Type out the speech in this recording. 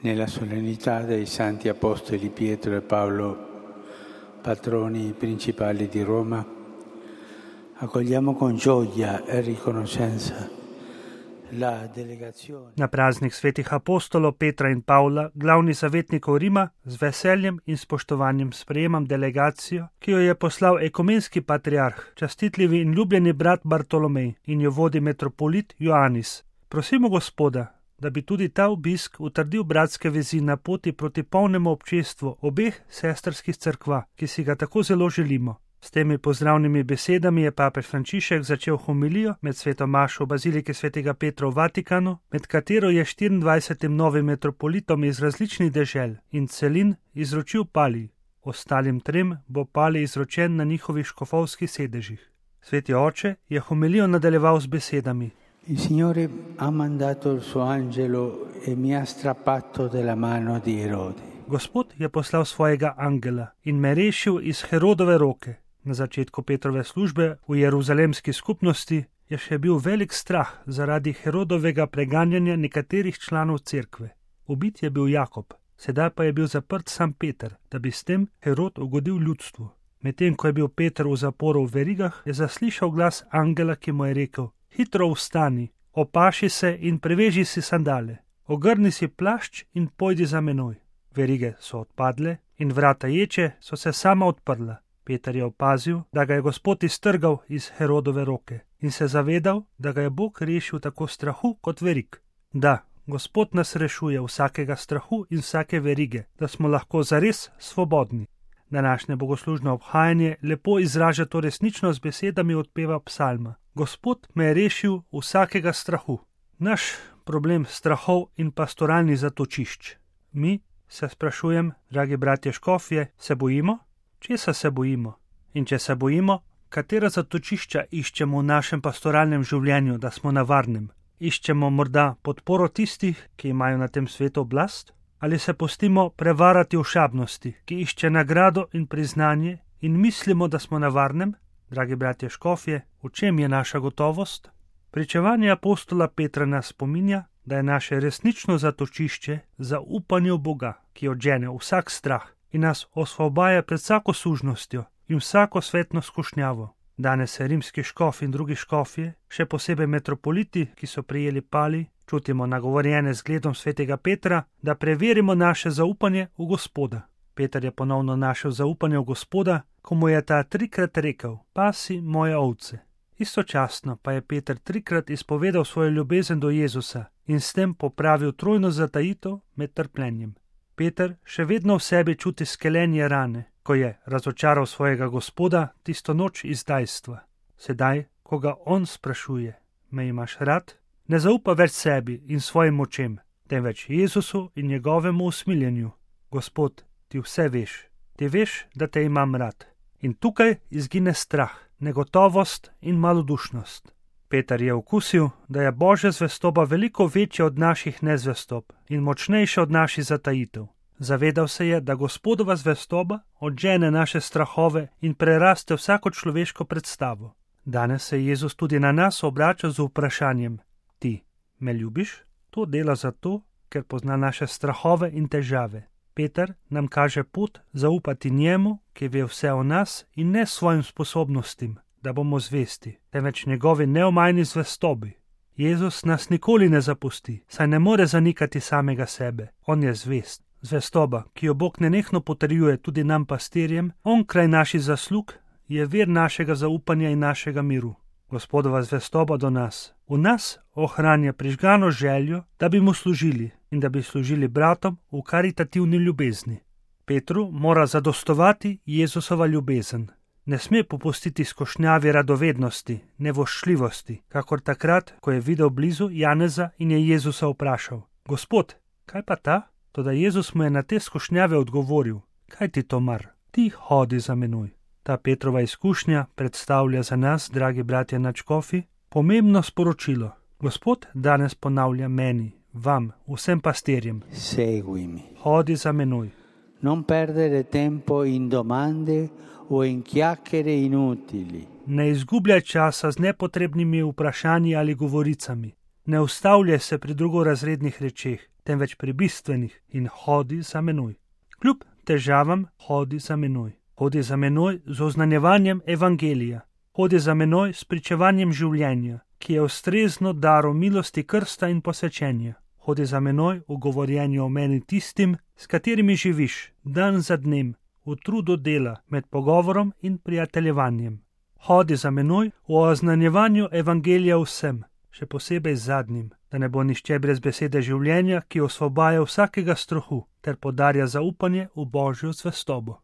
Nella solennità dei Santi Apostoli Pietro e Paolo, patroni principali di Roma, accogliamo con gioia e riconoscenza la delegazione. Na praznik svetih apostolov Petra in Pavla, glavnih zavetnikov Rima, z veseljem in spoštovanjem sprejemam delegacijo, ki jo je poslal ekumenski patriarh, častitljivi in ljubljeni brat Bartolomej in jo vodi metropolit Joanis. Prosimo Gospoda, da bi tudi ta obisk utrdil bratske vezi na poti proti polnemu občestvu obeh sestrskih cerkva, ki si ga tako zelo želimo. S temi pozdravnimi besedami je papež Frančišek začel homilijo med sveto mašo v baziliki svetega Petra v Vatikanu, med katero je 24 novim metropolitom iz različnih dežel in celin izročil palij. Ostalim trem bo palij izročen na njihovih škofovskih sedežih. Sveti oče je homilijo nadaljeval z besedami: Il Signore ha mandato il suo angelo e mi ha strappato dalla mano di Erode. Gospod je poslal svojega angela in me rešil iz Herodove roke. Na začetku Petrove službe v jeruzalemski skupnosti je še bil velik strah zaradi Herodovega preganjanja nekaterih članov cerkve. Ubit je bil Jakob, sedaj pa je bil zaprt sam Peter, da bi s tem Herod ugodil ljudstvu. Medtem ko je bil Peter v zaporu v verigah, je zaslišal glas angela, ki mu je rekel: Hitro vstani, opaši se in preveži si sandale, ogrni si plašč in pojdi za menoj. Verige so odpadle in vrata ječe so se sama odprla. Peter je opazil, da ga je Gospod iztrgal iz Herodove roke in se zavedal, da ga je Bog rešil tako strahu kot verig. Da, Gospod nas rešuje vsakega strahu in vsake verige, da smo lahko zares svobodni. Današnje bogoslužno obhajanje lepo izraža to resnično z besedami odpeva psalma. Gospod me je rešil vsakega strahu. Naš problem strahov in pastoralnih zatočišč. Mi, se sprašujem, dragi bratje škofje, se bojimo? Česa se bojimo? In če se bojimo, katera zatočišča iščemo v našem pastoralnem življenju, da smo na varnem? Iščemo morda podporo tistih, ki imajo na tem svetu oblast? Ali se pustimo prevarati v šabnosti, ki išče nagrado in priznanje in mislimo, da smo na varnem? Dragi bratje škofje, v čem je naša gotovost? Pričevanje apostola Petra nas spominja, da je naše resnično zatočišče zaupanje v Boga, ki odžene vsak strah in nas osvobaja pred vsako sužnostjo in vsako svetno skušnjavo. Danes se rimski škof in drugi škofje, še posebej metropoliti, ki so prijeli palij, čutimo nagovorjene z gledom svetega Petra, da preverimo naše zaupanje v Gospoda. Peter je ponovno našel zaupanje v Gospoda, ko mu je ta 3-krat rekel: Pasi moje ovce. Istočasno pa je Peter 3-krat izpovedal svojo ljubezen do Jezusa in s tem popravil trojno zatajitev med trpljenjem. Peter še vedno v sebi čuti skelenje rane, ko je razočaral svojega Gospoda tisto noč izdajstva. Sedaj, ko ga on sprašuje: Me imaš rad? Ne zaupa več sebi in svojim močem, temveč Jezusu in njegovemu usmiljenju. Gospod, ti vse veš. Ti veš, da te imam rad. In tukaj izgine strah, negotovost in malodušnost. Peter je okusil, da je Božja zvestoba veliko večja od naših nezvestob in močnejša od naših zatajitev. Zavedal se je, da Gospodova zvestoba odžene naše strahove in preraste vsako človeško predstavo. Danes se Jezus tudi na nas obrača z vprašanjem: Ti me ljubiš? To dela zato, ker pozna naše strahove in težave. Peter nam kaže pot zaupati njemu, ki ve vse o nas in ne svojim sposobnostim, da bomo zvesti, temveč njegovi neomajni zvestobi. Jezus nas nikoli ne zapusti, saj ne more zanikati samega sebe. On je zvest. Zvestoba, ki jo Bog nenehno potrjuje tudi nam pastirjem, onkraj naših zaslug, je vir našega zaupanja in našega miru. Gospodova zvestoba do nas. V nas ohranja prižgano željo, da bi mu služili in da bi služili bratom v karitativni ljubezni. Petru mora zadostovati Jezusova ljubezen. Ne sme popustiti skušnjavi radovednosti, nevoščljivosti, kakor takrat, ko je videl blizu Janeza in je Jezusa vprašal: Gospod, kaj pa ta? Toda Jezus mu je na te skušnjave odgovoril: Kaj ti to mar? Ti hodi za menoj. Ta Petrova izkušnja predstavlja za nas, dragi bratje nadškofi, pomembno sporočilo. Gospod danes ponavlja meni, vam, vsem pastirjem: Seguimi. Hodi za menoj. Non perdere tempo in domande o in chiacchiere inutili. Ne izgubljaj časa z nepotrebnimi vprašanji ali govoricami. Ne ustavljaj se pri drugorazrednih rečeh, temveč pri bistvenih in hodi za menoj. Kljub težavam hodi za menoj. Hodi za menoj z oznanjevanjem evangelija. Hodi za menoj s pričevanjem življenja, ki je ustrezno daro milosti krsta in posvečenja. Hodi za menoj v govorjenju o meni tistim, s katerimi živiš dan za dnem, v trudu dela med pogovorom in prijateljevanjem. Hodi za menoj v oznanjevanju evangelija vsem, še posebej zadnjim, da ne bo nihče brez besede življenja, ki osvobaja vsakega strahu ter podarja zaupanje v Božjo zvestobo.